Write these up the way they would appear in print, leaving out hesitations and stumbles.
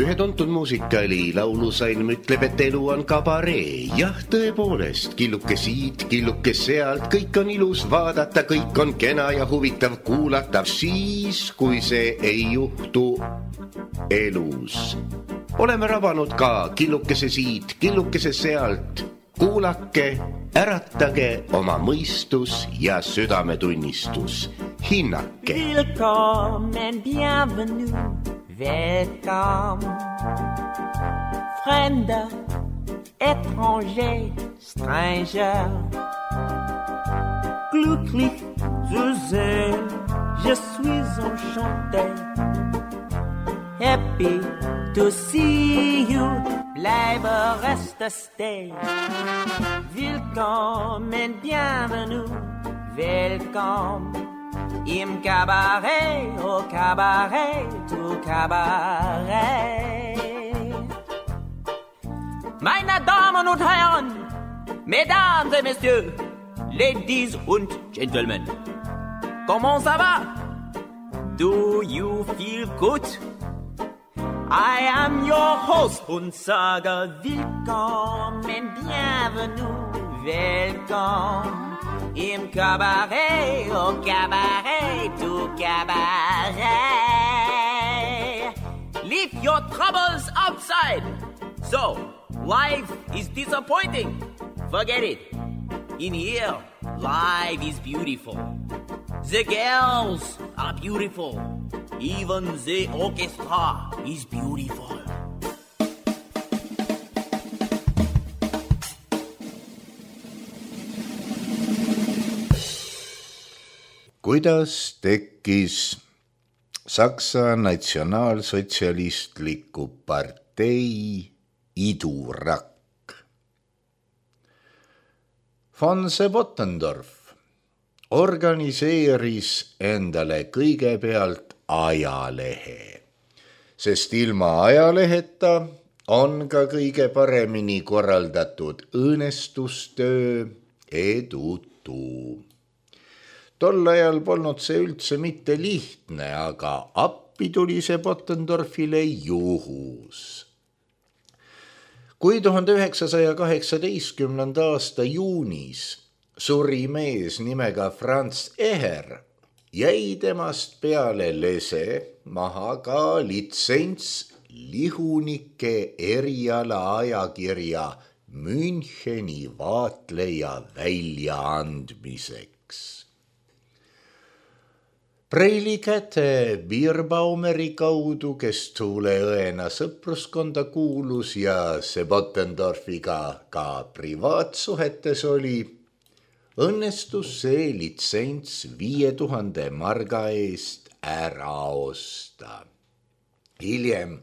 Ühe tuntud muusikali laulusalm ütleb, et elu on kabaree. Jah, tõepoolest, killuke siit, killuke sealt, kõik on ilus vaadata, kõik on kena ja huvitav kuulata. Siis, kui see ei juhtu elus. Oleme rabanud ka killukese siit, killukese sealt. Kuulake, äratage oma mõistus ja südametunnistus. Hinnake. Willkommen, bienvenue, welcome. Fremder, étranger, stranger. Glücklich zu sehen, je suis enchanté. Happy to see you, bleibe reste stay. Willkommen, bienvenue, welcome. Im Cabaret, au Cabaret, au Cabaret. Meine Damen und Herren, Mesdames et Messieurs, Ladies und Gentlemen, comment ça va? Do you feel good? I am your host und sage willkommen, bienvenue, welcome. Im Cabaret, au Cabaret, au Cabaret. Leave your troubles outside. So, life is disappointing. Forget it. In here, life is beautiful. The girls are beautiful. Even the orchestra is beautiful. Kuidas tekkis Saksa natsionaalsotsialistliku partei idurakk? Von Bottendorf organiseeris endale kõigepealt ajalehe, sest ilma ajaleheta on ka kõige paremini korraldatud õõnestustöö edutu. Tol ajal polnud see üldse mitte lihtne, aga appi tuli see Bottendorfile juhus. Kui 1918. aasta juunis suri mees nimega Franz Eher, jäi temast peale lese maha ka litsents lihunike eriala ajakirja Müncheni vaatleja väljaandmiseks. Preili käte Bierbaumeri kaudu, kes Tuuleõena sõpruskonda kuulus ja see Bottendorfiga ka privaatsuhetes oli, õnnestus see litsents 5000 marga eest ära osta. Hiljem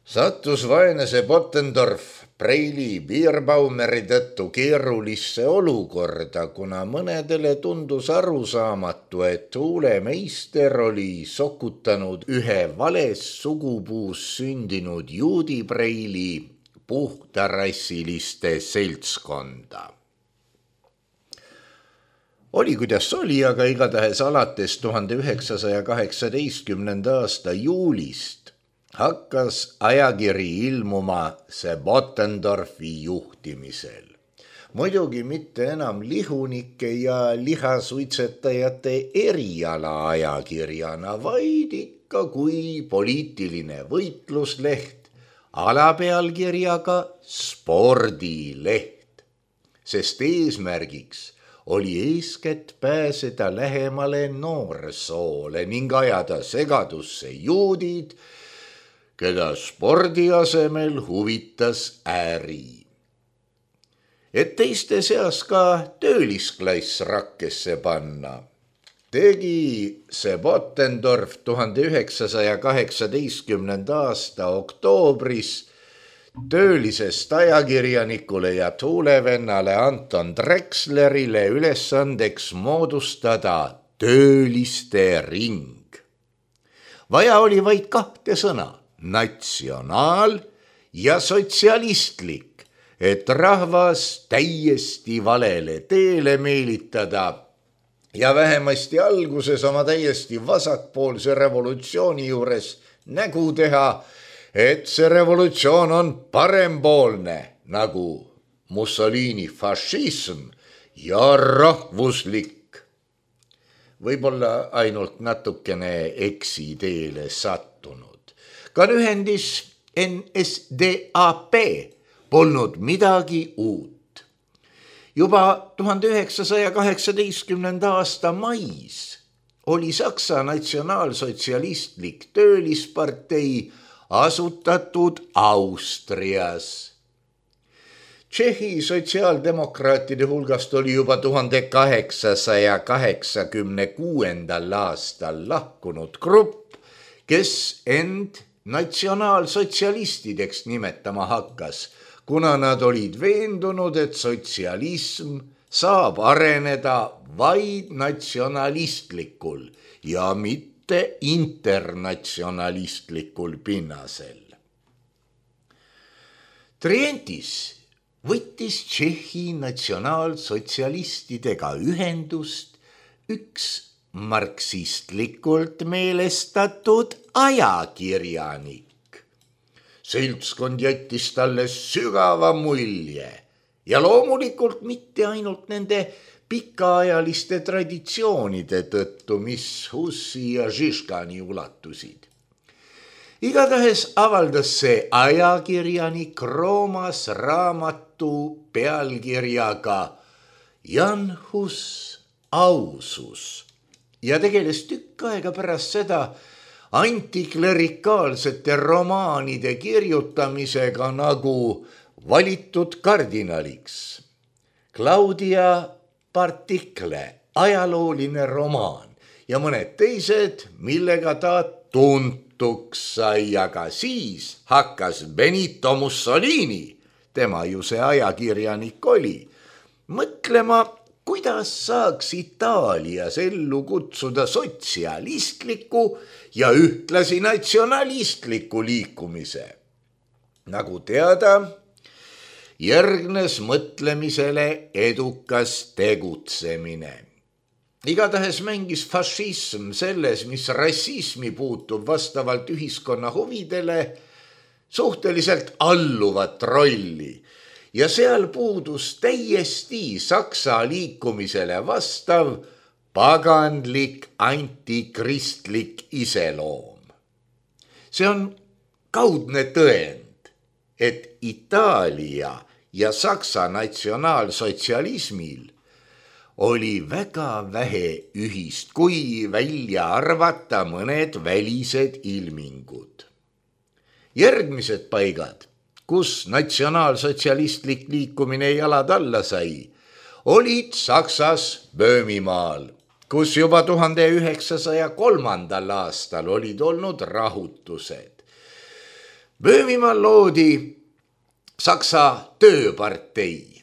sattus vaene see Bottendorf Preili Bierbaumeri tõttu keerulisse olukorda, kuna mõnedele tundus arusaamatu, et Tuulemeister oli sokutanud ühe vales sugupuus sündinud juudi Preili puhtarassiliste seltskonda. Oli kuidas oli, aga igatahes alates 1918. aasta juulist hakkas ajakiri ilmuma see Bottendorfi juhtimisel. Muidugi mitte enam lihunike ja lihasuitsetajate eriala ajakirjana, vaid ikka kui poliitiline võitlusleht alapealkirjaga spordileht, sest eesmärgiks oli eeskätt pääseda lähemale noorsoole ning ajada segadusse juudid, keda spordi asemel huvitas äri. Et teiste seas ka töölisklass rakkesse panna, tegi see Bottendorf 1918. aasta oktoobris töölisest ajakirjanikule ja tuulevennale Anton Drexlerile ülesandeks moodustada tööliste ring. Vaja oli vaid 2 sõna, natsionaal ja sotsialistlik, et rahvas täiesti valele teele meelitada ja vähemasti alguses oma täiesti vasakpoolse revolutsiooni juures nägu teha, et see revolutsioon on parempoolne, nagu Mussolini fašism ja rahvuslik. Võib-olla ainult natukene eksiteele sattunud. Ka lühendis NSDAP polnud midagi uut. Juba 1918. aasta mais oli Saksa natsionaalsotsialistlik töölispartei asutatud Austrias. Tšehhi sotsiaaldemokraatide hulgast oli juba 1886. aastal lahkunud grupp, kes end natsionaalsotsialistideks nimetama hakkas, kuna nad olid veendunud, et sotsialism saab areneda vaid natsionalistlikul ja mitte internatsionalistlikul pinnasel. Trientis võttis Tšehhi natsionaalsotsialistidega ühendust üks marksistlikult meelestatud ajakirjanik. Seltskond jättis talle sügava mulje ja loomulikult mitte ainult nende pikaajaliste traditsioonide tõttu, mis Hussi ja Žižkani ulatusid. Igatahes avaldas see ajakirjanik Roomas raamatu pealkirjaga Jan Hus ausus ja tegeles tükk aega pärast seda antiklerikaalsete romaanide kirjutamisega nagu Valitud kardinaliks, Claudia Partikle ajalooline romaan ja mõned teised, millega ta tuntuks sai, aga siis hakkas Benito Mussolini, tema ju see ajakirjanik oli, mõtlema, kuidas saaks Itaalias ellu kutsuda sotsialistliku ja ühtlasi natsionalistliku liikumise. Nagu teada, järgnes mõtlemisele edukas tegutsemine. Igatahes mängis fašism selles, mis rassismi puutub vastavalt ühiskonna huvidele, suhteliselt alluvat rolli ja seal puudus täiesti Saksa liikumisele vastav paganlik antikristlik iseloom. See on kaudne tõend, et Itaalia ja Saksa natsionaalsotsialismil oli väga vähe ühist, kui välja arvata mõned välised ilmingud. Järgmised paigad, kus natsionaalsotsialistlik liikumine jalad alla sai, olid Saksas Böömimaal, kus juba 1903. aastal olid olnud rahutused. Böömimaal loodi Saksa tööpartei.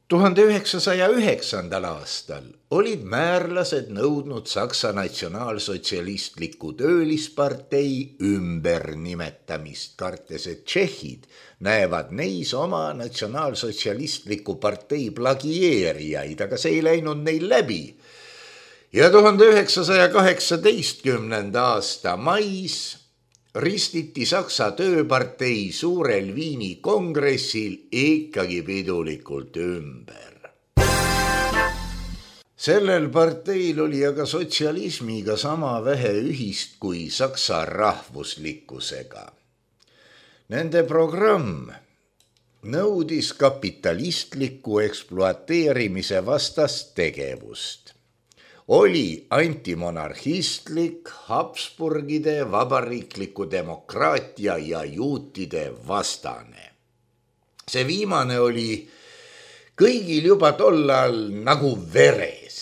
1909. aastal olid määrlased nõudnud Saksa natsionaalsotsialistliku töölispartei ümbernimetamist, kartes, et tšehhid näevad neis oma natsionaalsotsialistliku partei plagieerijaid, aga see ei läinud neil läbi. Ja 1918. aasta mais ristiti Saksa tööpartei suurel Viini kongressil ikkagi pidulikult ümber. Sellel parteil oli aga sotsialismiga sama vähe ühist kui Saksa rahvuslikkusega. Nende programm nõudis kapitalistliku ekspluateerimise vastast tegevust. Oli antimonarhistlik, Habsburgide vabariikliku demokraatia ja juutide vastane. See viimane oli kõigil juba tollal nagu veres.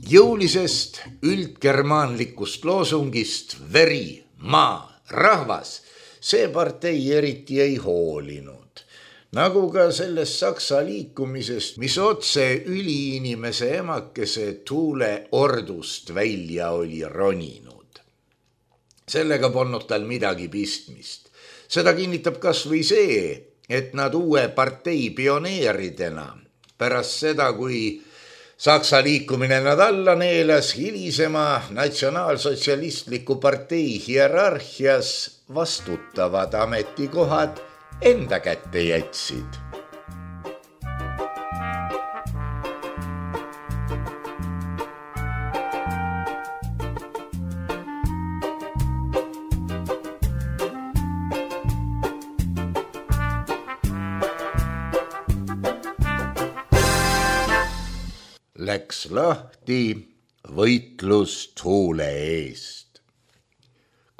Jõulisest üldgermaanlikust loosungist veri, maa, rahvas, see partei eriti ei hoolinud. Nagu ka sellest Saksa liikumisest, mis otse üliinimese emakese Tuule ordust välja oli roninud. Sellega polnud tal midagi pistmist. Seda kinnitab kas või see, et nad uue partei pioneeridena pärast seda, kui Saksa liikumine nad alla neelas hilisema natsionaalsotsialistliku partei hierarhias vastutavad ametikohad enda kätte jätsid. Läks lahti võitlus tuule eest.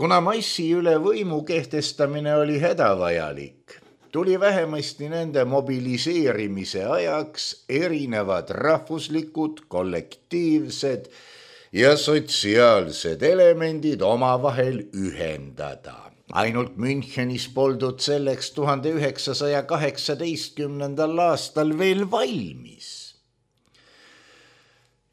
Kuna massi üle võimu kehtestamine oli hädavajalik, tuli vähemasti nende mobiliseerimise ajaks erinevad rahvuslikud, kollektiivsed ja sotsiaalsed elemendid omavahel ühendada. Ainult Münchenis poldud selleks 1918. aastal veel valmis.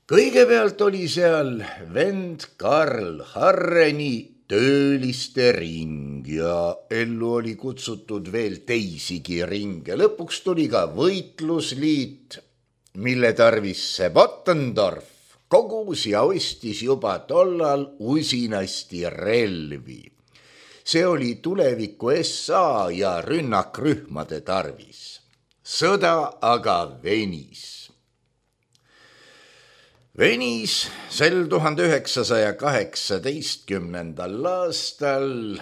Kõigepealt oli seal vend Karl Harreni tööliste ring ja ellu oli kutsutud veel teisigi ringe. Lõpuks tuli ka võitlusliit, mille tarvis Seppotendorf kogus ja ostis juba tollal usinasti relvi. See oli tuleviku SA ja rünnakrühmade tarvis. Sõda aga venis. Venis sel 1918. aastal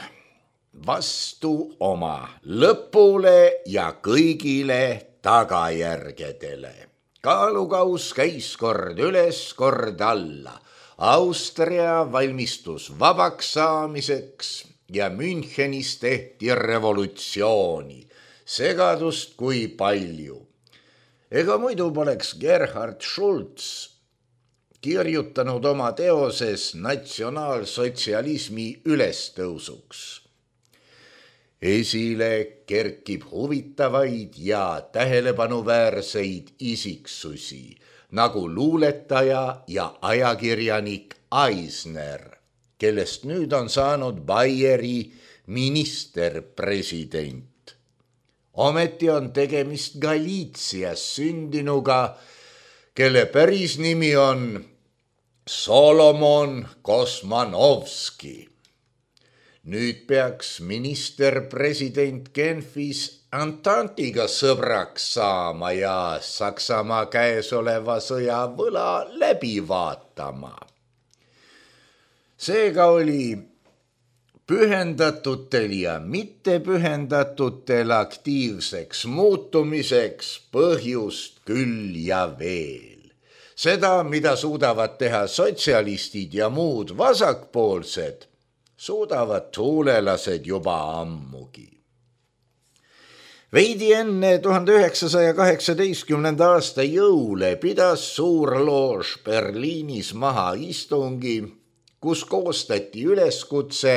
vastu oma lõpule ja kõigile tagajärgedele. Kaalukaus käis kord üles, kord alla. Austria valmistus vabaks saamiseks ja Münchenis tehti revolutsiooni. Segadust kui palju. Ega muidu poleks Gerhard Schulz kirjutanud oma teoses natsionaalsotsialismi ülestõusuks. Esile kerkib huvitavaid ja tähelepanuväärseid isiksusi, nagu luuletaja ja ajakirjanik Eisner, kellest nüüd on saanud Baieri ministerpresident. Ometi on tegemist Galiitsias sündinuga, kelle päris nimi on Solomon Kosmanovski. Nüüd peaks ministerpresident Genfis Entente'iga sõbraks saama ja Saksamaa käesoleva sõja võla läbi vaatama. Seega oli pühendatutel ja mittepühendatutel aktiivseks muutumiseks põhjust küll ja veel. Seda, mida suudavad teha sotsialistid ja muud vasakpoolsed, suudavad tuulelased juba ammugi. Veidi enne 1918. aasta jõule pidas suur loož Berliinis maha istungi, kus koostati üleskutse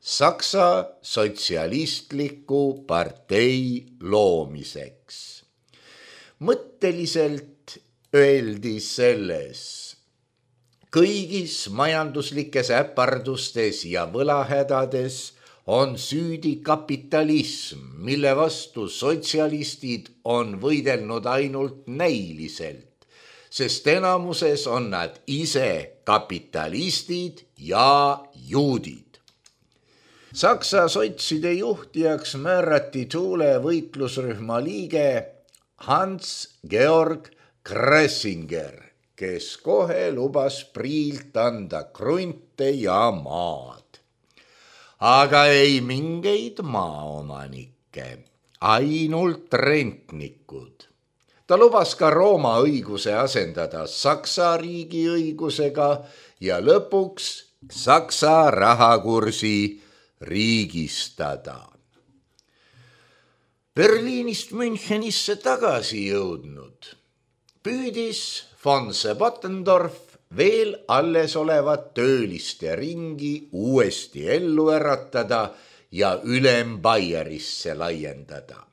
Saksa sotsialistliku partei loomiseks. Mõtteliselt öeldi selles: kõigis majanduslikes äpardustes ja võlahädades on süüdi kapitalism, mille vastu sotsialistid on võidelnud ainult näiliselt, sest enamuses on nad ise kapitalistid ja juudid. Saksa sotside juhtijaks määrati Tuule võitlusrühma liige Hans-Georg Kressinger, kes kohe lubas Priilt anda krunte ja maad. Aga ei mingeid maaomanikke, ainult rentnikud. Ta lubas ka Rooma õiguse asendada Saksa riigi õigusega ja lõpuks Saksa rahakursi riigistada. Berliinist Münchenisse tagasi jõudnud püüdis von Seppotendorf veel alles olevat tööliste ringi uuesti ellu äratada ja ülem Baierisse laiendada.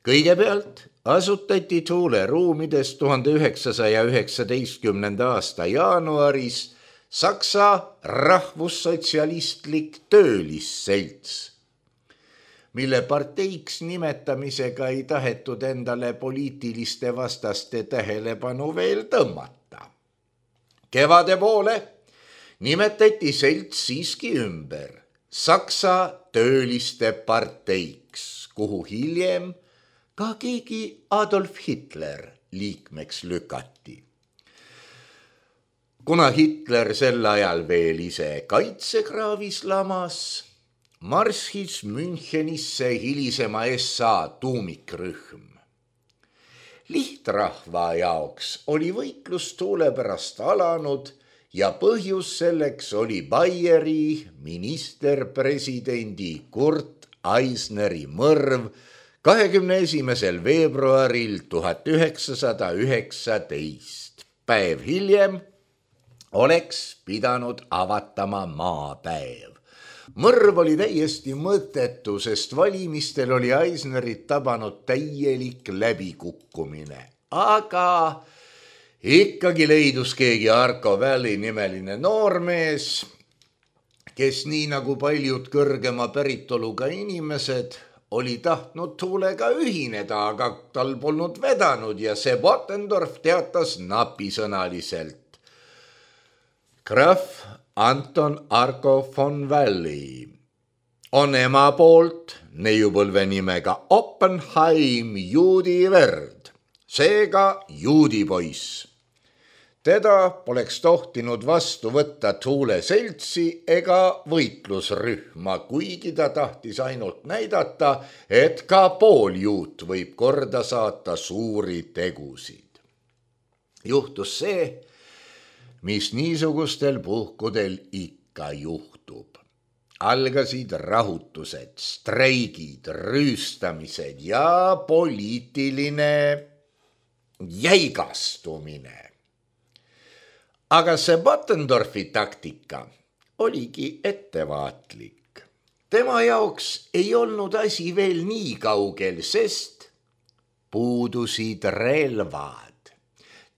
Kõigepealt asutati Tuule ruumides 1919. aasta jaanuaris Saksa rahvussotsialistlik töölisselts. mille parteiks nimetamisega ei tahetud endale poliitiliste vastaste tähelepanu veel tõmmata. Kevade poole nimetati selts siiski ümber Saksa tööliste parteiks, kuhu hiljem ka keegi Adolf Hitler liikmeks lükati. Kuna Hitler sel ajal veel ise kaitsekraavis lamas, marsis Münchenisse hilisema SA tuumikrühm. Lihtrahva jaoks oli võitlus tuule pärast alanud ja põhjus selleks oli Bayeri ministerpresidendi Kurt Eisneri mõrv 21. veebruaril 1919. Päev hiljem oleks pidanud avatama maapäev. Mõrv oli täiesti mõttetu, sest valimistel oli Eisnerit tabanud täielik läbikukkumine. Aga ikkagi leidus keegi Arco Valley nimeline noormees, kes nii nagu paljud kõrgema päritoluga inimesed oli tahtnud tuulega ühineda, aga tal polnud vedanud ja see Bottendorf teatas napisõnaliselt. Graf Anton Arco von Valley on ema poolt neiupõlve nimega Oppenheim juudi verd, seega juudi poiss. Teda poleks tohtinud vastu võtta Tuule seltsi ega võitlusrühma, kuigi ta tahtis ainult näidata, et ka pooljuut võib korda saata suuri tegusid. Juhtus see, mis niisugustel puhkudel ikka juhtub. Algasid rahutused, streigid, rüüstamised ja poliitiline jäigastumine. Aga see Bottendorfi taktika oligi ettevaatlik. Tema jaoks ei olnud asi veel nii kaugel, sest puudusid relvad.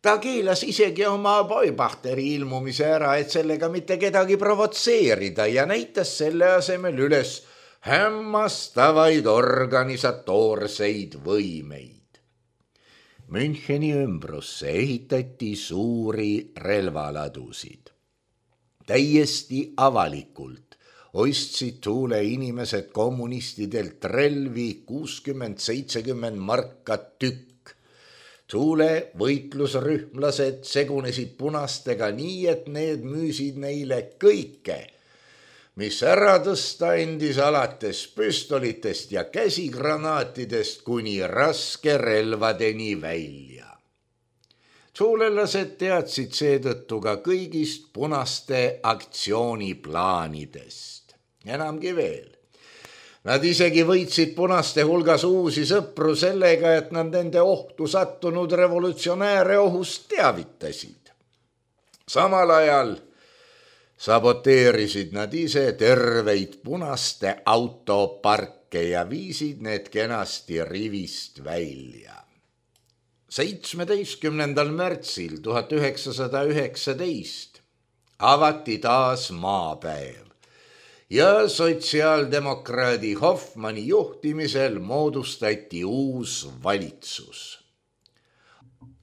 Ta keelas isegi oma Beubachteri ilmumise ära, et sellega mitte kedagi provotseerida ja näitas selle asemel üles hämmastavaid organisatoorseid võimeid. Müncheni ümbrusse ehitati suuri relvaladusid. Täiesti avalikult ostsid Tuule inimesed kommunistidelt relvi 60-70 marka tükk. Tuule võitlusrühmlased segunesid punastega nii, et need müüsid neile kõike, mis ära tõsta endis alates püstolitest ja käsigranaatidest kuni raskerelvadeni välja. Tuulelased teadsid seetõttu ka kõigist punaste aktsiooniplaanidest. Enamgi veel. Nad isegi võitsid punaste hulgas uusi sõpru sellega, et nad nende ohtu sattunud revolutsionääre ohust teavitasid. Samal ajal saboteerisid nad ise terveid punaste autoparke ja viisid need kenasti rivist välja. 17. märtsil 1919 avati taas maapäev ja sotsiaaldemokraadi Hoffmanni juhtimisel moodustati uus valitsus.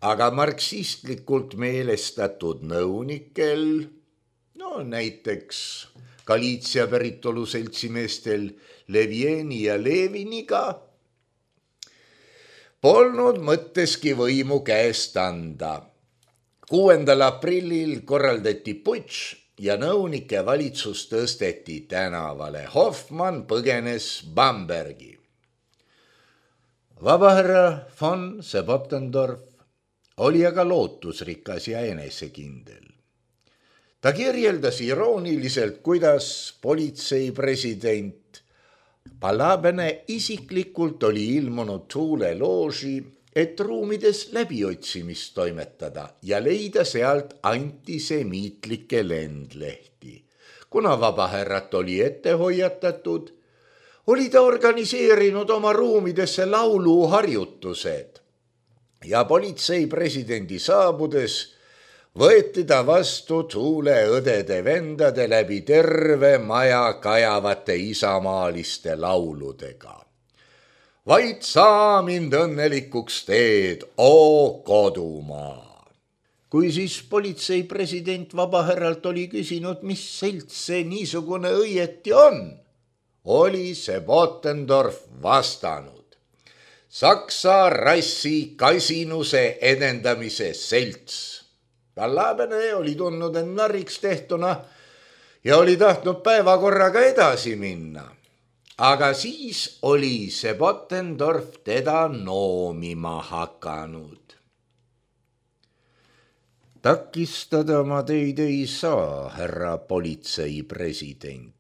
Aga marksistlikult meelestatud nõunikel, näiteks Galiitsia päritolu seltsimeestel Levieni ja Leviniga, polnud mõtteski võimu käest anda. 6. aprillil korraldati putš ja nõunike valitsus tõsteti tänavale. Hoffmann põgenes Bambergi. Vabahärra von Bottendorf oli aga lootusrikas ja enesekindel. Ta kirjeldas irooniliselt, kuidas politseipresident Palabene isiklikult oli ilmunud Tuule looži, et ruumides läbiotsimist toimetada ja leida sealt antisemiitlikke lendlehti. Kuna vabahärrat oli ette hoiatatud, oli ta organiseerinud oma ruumidesse lauluharjutused ja politseipresidendi saabudes võeti ta vastu Tuule õdede vendade läbi terve maja kajavate isamaaliste lauludega. Vaid saa mind õnnelikuks teed, o kodumaa. Kui siis politsei president Vabaherralt oli küsinud, mis selts see niisugune õieti on, oli see Bottendorf vastanud. Saksa rassi kasinuse edendamise selts. Läbene oli tundnud end narriks tehtuna ja oli tahtnud päevakorraga edasi minna. Aga siis oli see Bottendorf teda noomima hakanud. Takistada ma teid ei saa, härra politsei president.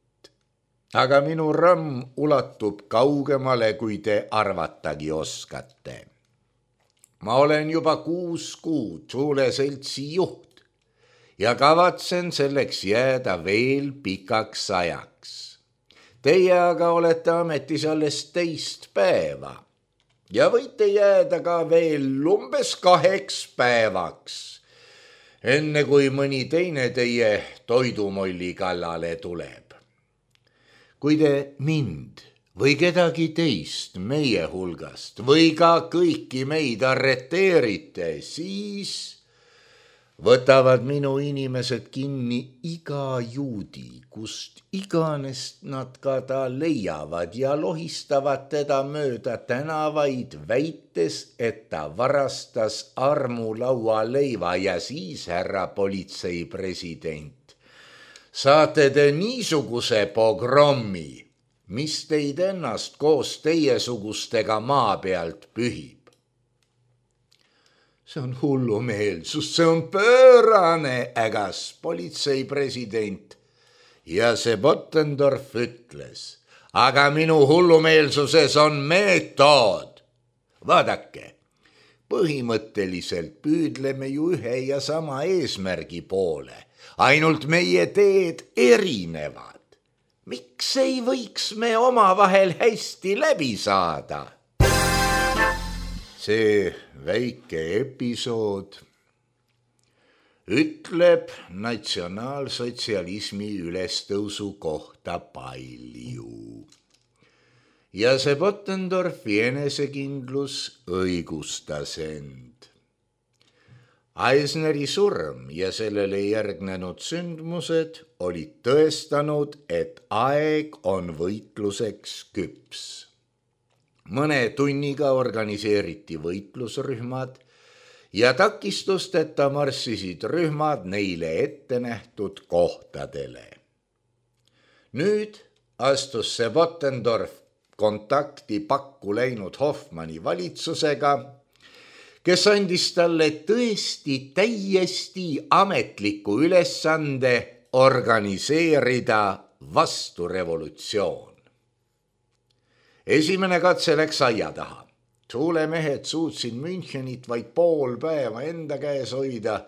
Aga minu ramm ulatub kaugemale, kui te arvatagi oskate. Ma olen juba 6 kuud Tuule seltsi juht ja kavatsen selleks jääda veel pikaks ajaks. Teie aga olete ametis alles 10 päeva ja võite jääda ka veel umbes 2 päevaks, enne kui mõni teine teie toidumolli kallale tuleb. Kui te mind või kedagi teist meie hulgast või ka kõiki meid arreteerite, siis võtavad minu inimesed kinni iga juudi, kust iganes nad ka ta leiavad ja lohistavad teda mööda tänavaid, väites, et ta varastas armulaua leiva ja siis, härra politsei president, saate te niisuguse pogrommi, mis teid ennast koos teiesugustega maa pealt pühib. See on hullumeelsus, see on pöörane, ägas politsei president. Ja see Bottendorf ütles, aga minu hullumeelsuses on meetod. Vaadake, põhimõtteliselt püüdleme ju ühe ja sama eesmärgi poole, ainult meie teed erinevad. Miks ei võiks me omavahel hästi läbi saada? See väike episood ütleb natsionaalsotsialismi ülestõusu kohta palju. Ja see Bottendorfi enesekindlus õigustas end. Eisneri surm ja sellele järgnenud sündmused olid tõestanud, et aeg on võitluseks küps. Mõne tunniga organiseeriti võitlusrühmad ja takistusteta marssisid rühmad neile ette nähtud kohtadele. Nüüd astus see Bottendorf kontakti pakku läinud Hoffmanni valitsusega, kes andis talle tõesti täiesti ametliku ülesande organiseerida vasturevolutsioon. Esimene katse läks aia taha. Tuule mehed suutsid Münchenit vaid pool päeva enda käes hoida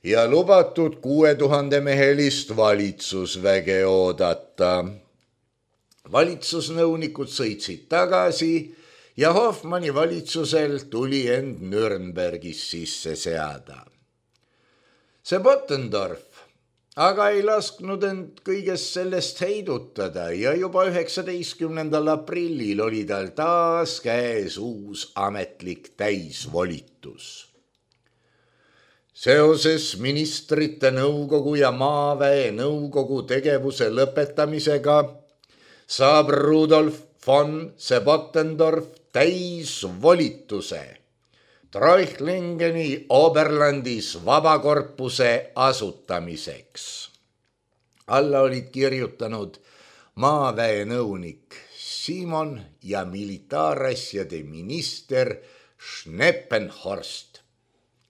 ja lubatud 6000 mehelist valitsusväge oodata. Valitsusnõunikud sõitsid tagasi ja Hoffmanni valitsusel tuli end Nürnbergis sisse seada. See Bottendorf aga ei lasknud end kõigest sellest heidutada ja juba 19. aprillil oli tal taas käes uus ametlik täisvolitus. Seoses ministrite nõukogu ja maaväe nõukogu tegevuse lõpetamisega saab Rudolf von Bottendorf täisvolituse Treuchtlingeni Oberlandis vabakorpuse asutamiseks. Alla olid kirjutanud maaväe nõunik Simon ja militaarasjade minister Schneppenhorst.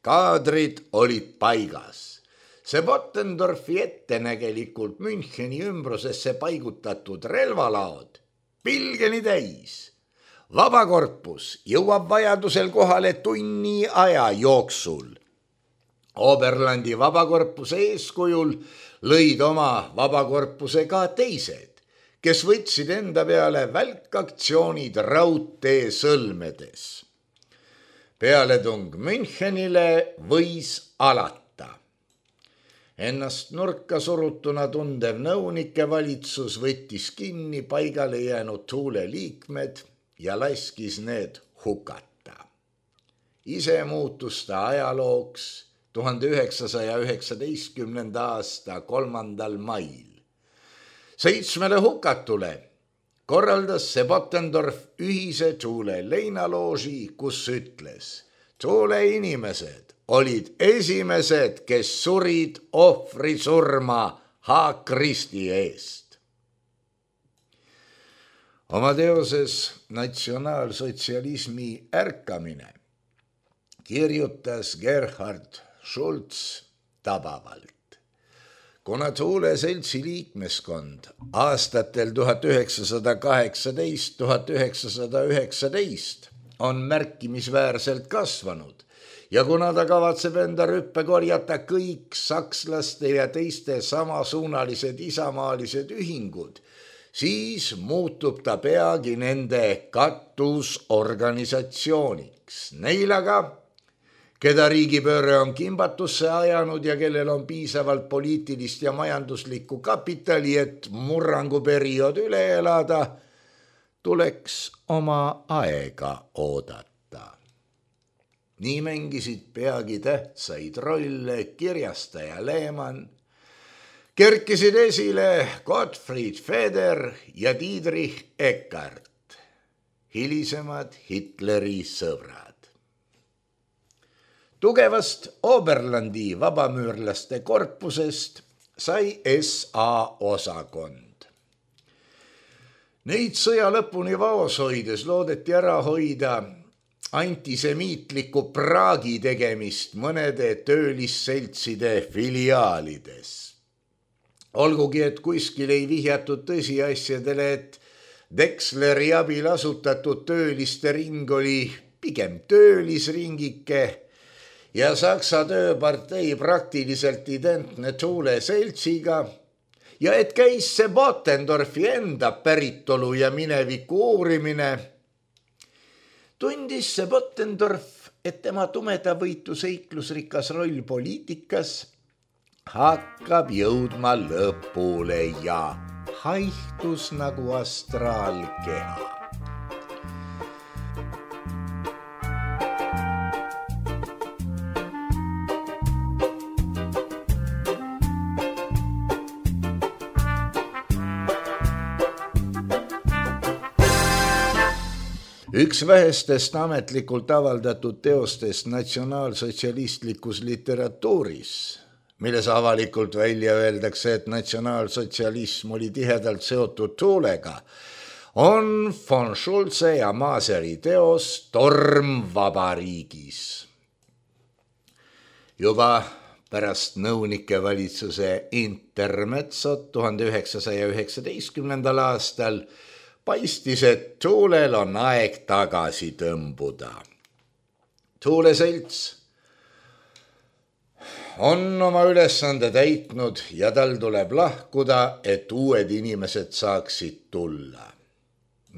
Kaadrid olid paigas. See Bottendorfi ettenägelikult Müncheni ümbrusesse paigutatud relvalaod pilgeni täis. Vabakorpus jõuab vajadusel kohale tunni aja jooksul. Oberlandi vabakorpuse eeskujul lõid oma vabakorpuse ka teised, kes võtsid enda peale välkaktsioonid raudtee sõlmedes. Pealetung Münchenile võis alata. Ennast nurka surutuna tundev nõunike valitsus võttis kinni paigale jäänud Thule liikmed ja laskis need hukata. Ise muutus ta ajalooks 1919. aasta 3. mail. 7 hukatule korraldas see Bottendorf ühise Thule leinalooži, kus ütles: Thule inimesed olid esimesed, kes surid ohvrisurma H-Kristi eest. Oma teoses Natsionaalsotsialismi ärkamine kirjutas Gerhard Schulz tabavalt. Kuna Thule seltsi liikmeskond aastatel 1918-1919 on märkimisväärselt kasvanud ja kuna ta kavatseb enda rüppe korjata kõik sakslaste ja teiste samasuunalised isamaalised ühingud, siis muutub ta peagi nende katusorganisatsiooniks. Neil aga, keda riigipööre on kimbatusse ajanud ja kellel on piisavalt poliitilist ja majanduslikku kapitali, et murranguperiood üle elada, tuleks oma aega oodata. Nii mängisid peagi tähtsaid rolle kirjastaja Lehmann, kerkisid esile Gottfried Feder ja Dietrich Eckart, hilisemad Hitleri sõbrad. Tugevast Oberlandi vabamüürlaste korpusest sai SA osakond. Neid sõja lõpuni vaos hoides loodeti ära hoida antisemiitliku praagi tegemist mõnede töölisseltside filiaalides. Olgugi, et kuskil ei vihjatud tõsiasjadele, et Dexleri abil asutatud tööliste ring oli pigem töölisringike ja Saksa tööpartei praktiliselt identne Thule seltsiga ja et käis see Bottendorfi enda päritolu ja mineviku uurimine, tundis see Bottendorf, et tema tumedavõitu seiklusrikas roll poliitikas hakkab jõudma lõpule ja haihtus nagu astraalkeha. Üks vähestest ametlikult avaldatud teostest natsionaalsotsialistlikus literatuuris, milles avalikult välja öeldakse, et natsionaalsotsialism oli tihedalt seotud Thulega, on von Schulze ja Maseri teos Torm vabariigis. Juba pärast nõunike valitsuse intermezzot 1919. aastal paistis, et Thulel on aeg tagasi tõmbuda. Thule selts on oma ülesande täitnud ja tal tuleb lahkuda, et uued inimesed saaksid tulla.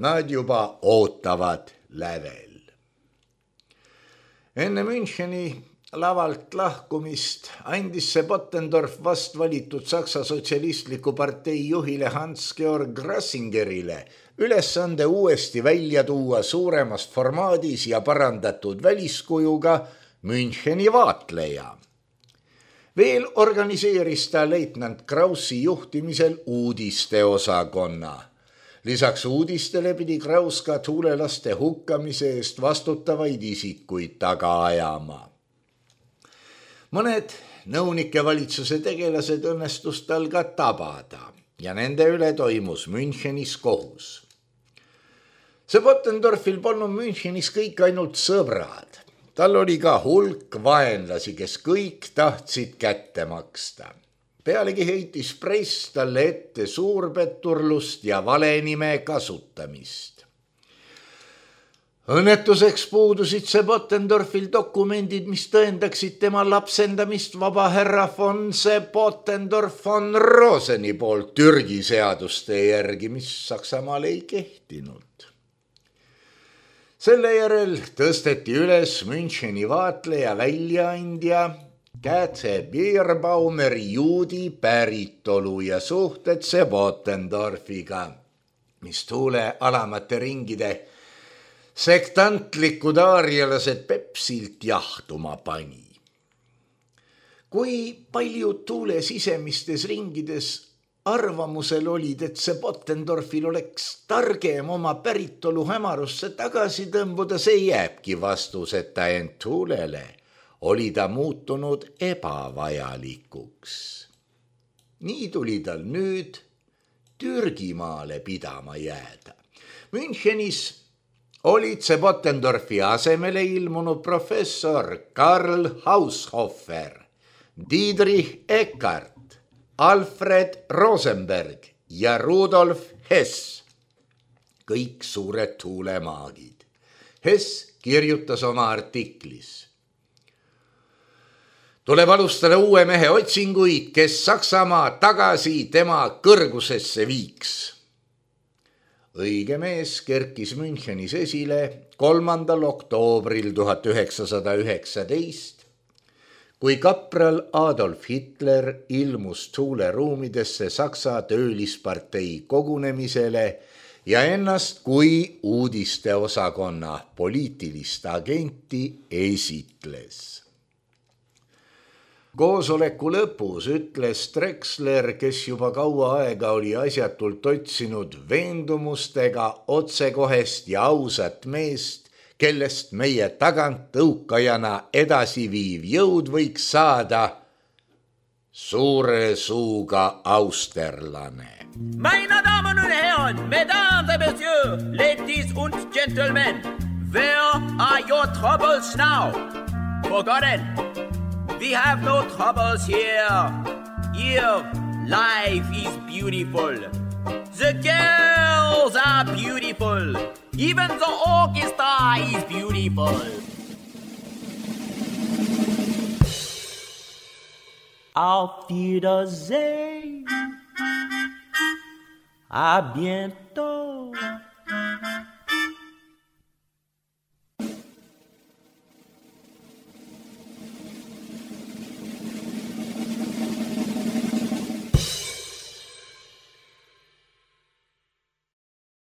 Nad juba ootavad lävel. Enne Müncheni lavalt lahkumist andis see Bottendorf vast valitud Saksa sotsialistliku partei juhile Hans-Georg Rassingerile ülesande uuesti välja tuua suuremas formaadis ja parandatud väliskujuga Müncheni vaatleja. Veel organiseeris ta leitnant Kraussi juhtimisel uudisteosakonna. Lisaks uudistele pidi Kraus ka thulelaste hukkamise eest vastutavaid isikuid taga ajama. Mõned nõunike valitsuse tegelased õnnestus tal ka tabada ja nende üle toimus Münchenis kohus. See Bottendorfil polnud Münchenis kõik ainult sõbrad. Tal oli ka hulk vaenlasi, kes kõik tahtsid kätte maksta. Pealegi heitis press talle ette suurpetturlust ja valenime kasutamist. Õnnetuseks puudusid see Bottendorfil dokumendid, mis tõendaksid tema lapsendamist vaba härra von Bottendorf von Roseni poolt Türgi seaduste järgi, mis Saksamaal ei kehtinud. Selle järel tõsteti üles Müncheni vaatleja väljaandja Kätse Bierbaumeri juudi päritolu ja suhted Sebotendorfiga, mis tuule alamate ringide sektantlikud aarialased Pepsilt jahtuma pani. Kui paljud tuule sisemistes ringides arvamusel olid, et Sebotendorfil oleks targem oma päritolu hämarusse tagasi tõmbuda, see jääbki vastuseta, ent tuulele oli ta muutunud ebavajalikuks. Nii tuli tal nüüd Türgimaale pidama jääda. Münchenis olid Sebotendorfi asemele ilmunud professor Karl Haushofer, Dietrich Eckart, Alfred Rosenberg ja Rudolf Hess, kõik suured tuulemaagid. Hess kirjutas oma artiklis: tuleb alustada uue mehe otsinguid, kes Saksamaa tagasi tema kõrgusesse viiks. Õige mees kerkis Münchenis esile 3. oktoobril 1919, kui kapral Adolf Hitler ilmus tuuleruumidesse Saksa töölispartei kogunemisele ja ennast kui uudisteosakonna poliitilist agenti esitles. Koosoleku lõpus ütles Drexler, kes juba kaua aega oli asjatult otsinud veendumustega otsekohest ja ausat meest, kellest meie tagant tõukajana edasiviiv jõud võiks saada, suure suuga austerlane. Meine Damen und Herren, Mesdames et Messieurs, ladies und gentlemen, where are your troubles now? Forgotten. We have no troubles here. Here, life is beautiful. The girls are beautiful. Even the orchestra is beautiful. Auf Wiedersehen. À bientôt.